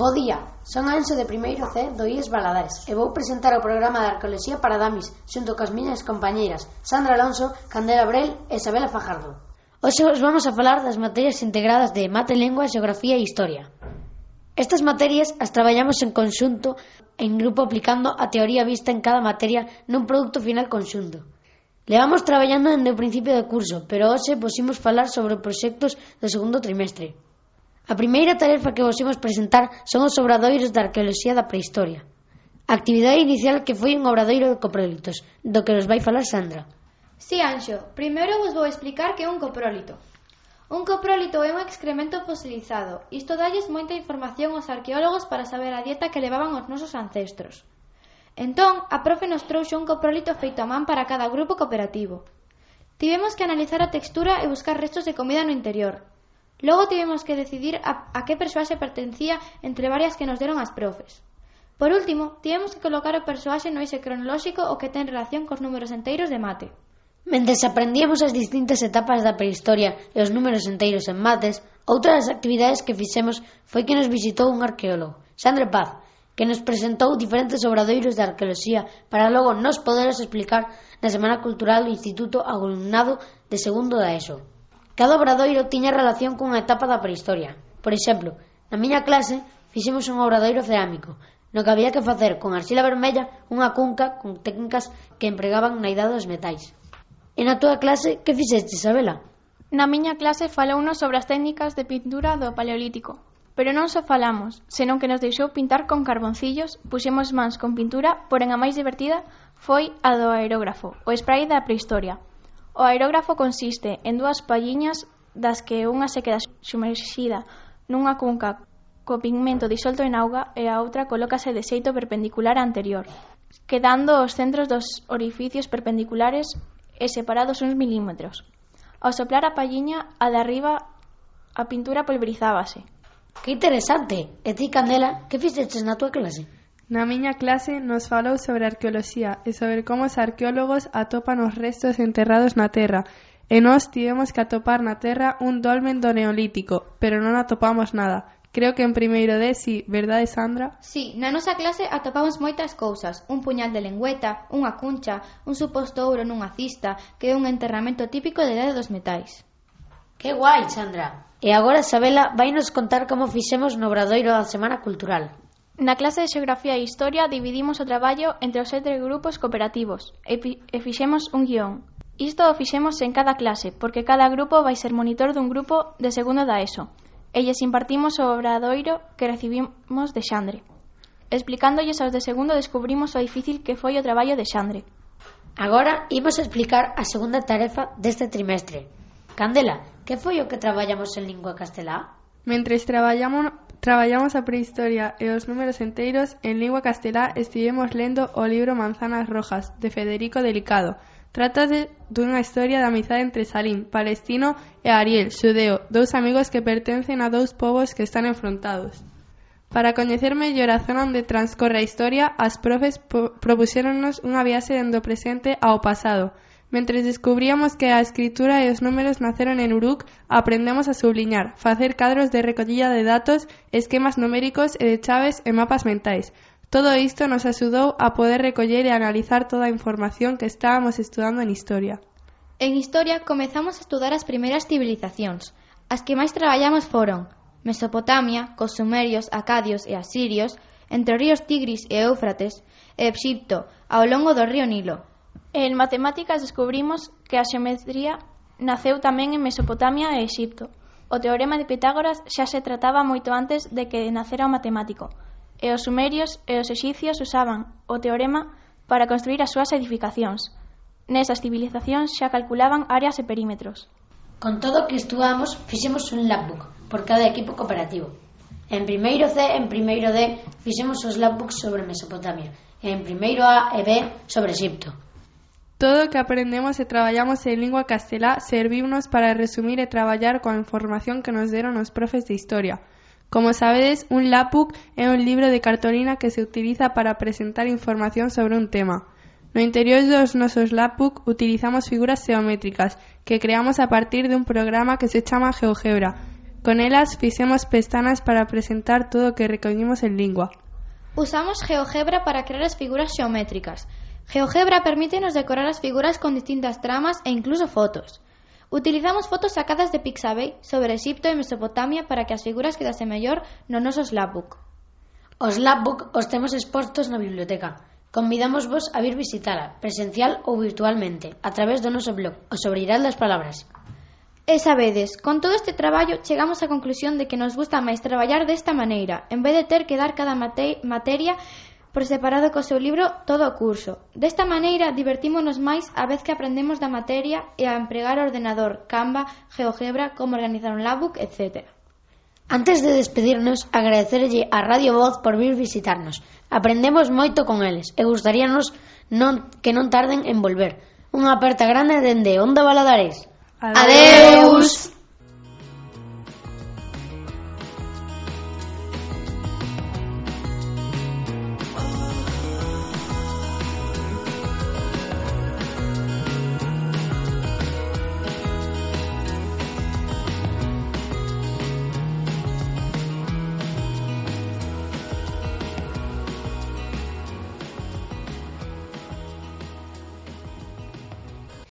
Bo día, son Anxo de primeiro C do IES Baladares e vou presentar o programa de Arqueoloxía para Damis xunto coas miñas compañeiras Sandra Alonso, Candela Abrel e Isabela Fajardo. Hoxe os vamos a falar das materias integradas de Mate, Lengua, Xeografía e Historia. Estas materias as traballamos en conxunto, en grupo, aplicando a teoría vista en cada materia nun produto final conxunto. Levamos traballando dende o principio do curso, pero hoxe posimos falar sobre proxectos do segundo trimestre. A primeira tarefa que vos imos presentar son os obradoiros da arqueoloxía da prehistoria. A actividade inicial que foi un obradoiro de coprólitos, do que nos vai falar Sandra. Si, Anxo, primeiro vos vou explicar que é un coprólito. Un coprólito é un excremento fosilizado. Isto dalles moita información aos arqueólogos para saber a dieta que levaban os nosos ancestros. Entón, a profe nos trouxe un coprólito feito a man para cada grupo cooperativo. Tivemos que analizar a textura e buscar restos de comida no interior. Logo tivemos que decidir a que persoaxe pertencía entre varias que nos deron as profes. Por último, tivemos que colocar o persoaxe no eixe cronolóxico o que ten relación cos números enteiros de mate. Mentres aprendíamos as distintas etapas da prehistoria e os números enteiros en mates, outra das actividades que fixemos foi que nos visitou un arqueólogo, Xandre Paz, que nos presentou diferentes obradoiros de arqueoloxía para logo nos poderos explicar na Semana Cultural do Instituto ao alumnado de segundo da ESO. Cada obradoiro tiña relación cunha etapa da prehistoria. Por exemplo, na miña clase fixemos un obradoiro cerámico, no que había que facer con arxila vermella unha cunca con técnicas que empregaban na idade dos metais. E na túa clase, que fixeste, Isabela? Na miña clase falounos sobre as técnicas de pintura do Paleolítico. Pero non só falamos, senón que nos deixou pintar con carboncillos, puxemos mans con pintura, porén a máis divertida foi a do aerógrafo, o spray da prehistoria. O aerógrafo consiste en dúas palliñas das que unha se queda sumerxida nunha cunca co pigmento disolto en auga e a outra colócase de xeito perpendicular á anterior, quedando os centros dos orificios perpendiculares e separados uns milímetros. Ao soplar a palliña, a de arriba, a pintura pulverizábase. Que interesante! E ti, Candela, que fixeches na túa clase? Na miña clase nos falou sobre arqueoloxía e sobre como os arqueólogos atopan os restos enterrados na terra e nós tivemos que atopar na terra un dolmen do Neolítico, pero non atopamos nada. Creo que en primeiro de si, verdade, Sandra? Si, na nosa clase atopamos moitas cousas, un puñal de lengüeta, unha cuncha, un suposto ouro nunha cista, que é un enterramento típico da idade dos metais. Que guai, Sandra! E agora Isabela vai nos contar como fixemos no obradoiro da Semana Cultural. Na clase de Xeografía e Historia dividimos o traballo entre os 7 grupos cooperativos e fixemos un guión. Isto o fixemos en cada clase, porque cada grupo vai ser monitor dun grupo de segundo da ESO. E lles impartimos o obradoiro que recibimos de Xandre. Explicándolles aos de segundo descubrimos o difícil que foi o traballo de Xandre. Agora imos explicar a segunda tarefa deste trimestre. Candela, que foi o que traballamos en lingua castelá? Mentres traballamos a prehistoria e os números enteiros, en lingua castelá estivemos lendo o libro Manzanas Rojas, de Federico Delicado. Trátase dunha historia de amizade entre Salim, palestino, e Ariel, xudeo, dous amigos que pertencen a dous povos que están enfrontados. Para coñecer mellor a zona onde transcorre a historia, as profes propuxéronnos unha viaxe dende o presente ao pasado. Mentres descubríamos que a escritura e os números naceron en Uruk, aprendemos a subliñar, facer cadros de recollida de datos, esquemas numéricos e de chaves e mapas mentais. Todo isto nos axudou a poder recoller e analizar toda a información que estábamos estudando en Historia. En Historia comezamos a estudar as primeiras civilizacións. As que máis traballamos foron Mesopotamia, cos sumerios, acadios e asirios, entre os ríos Tigris e Éufrates, e Exipto, ao longo do río Nilo. En matemáticas descubrimos que a xeometría naceu tamén en Mesopotamia e Exipto. O teorema de Pitágoras xa se trataba moito antes de que nacera o matemático, e os sumerios e os exipcios usaban o teorema para construir as súas edificacións. Nesas civilizacións xa calculaban áreas e perímetros. Con todo o que estudamos, fixemos un labbook por cada equipo cooperativo. En primeiro C e en primeiro D fixemos os labbooks sobre Mesopotamia, e en primeiro A e B sobre Exipto. Todo o que aprendemos e traballamos en lingua castelá serviunos para resumir e traballar coa información que nos deron os profes de Historia. Como sabedes, un lapbook é un libro de cartolina que se utiliza para presentar información sobre un tema. No interior dos nosos lapbook utilizamos figuras xeométricas que creamos a partir dun programa que se chama GeoGebra. Con elas fixemos pestanas para presentar todo o que recoñimos en lingua. Usamos GeoGebra para crear as figuras xeométricas. GeoGebra permítenos decorar as figuras con distintas tramas e incluso fotos. Utilizamos fotos sacadas de Pixabay sobre Exipto e Mesopotamia para que as figuras quedasen mellor no noso Slapbook. Os Slapbook os temos expostos na biblioteca. Convidamos vos a vir visitala, presencial ou virtualmente, a través do noso blog, o Sobreiral das Palabras. E sabedes, con todo este traballo chegamos á conclusión de que nos gusta máis traballar desta maneira, en vez de ter que dar cada materia por separado co seu libro todo o curso. Desta maneira divertímonos máis a vez que aprendemos da materia e a empregar o ordenador, Canva, GeoGebra, como organizar un Labbook, etc. Antes de despedirnos, agradecerlle a Radio Voz por vir visitarnos. Aprendemos moito con eles e gustaríanos que non tarden en volver. Unha aperta grande dende Onda Valadares. Adeus!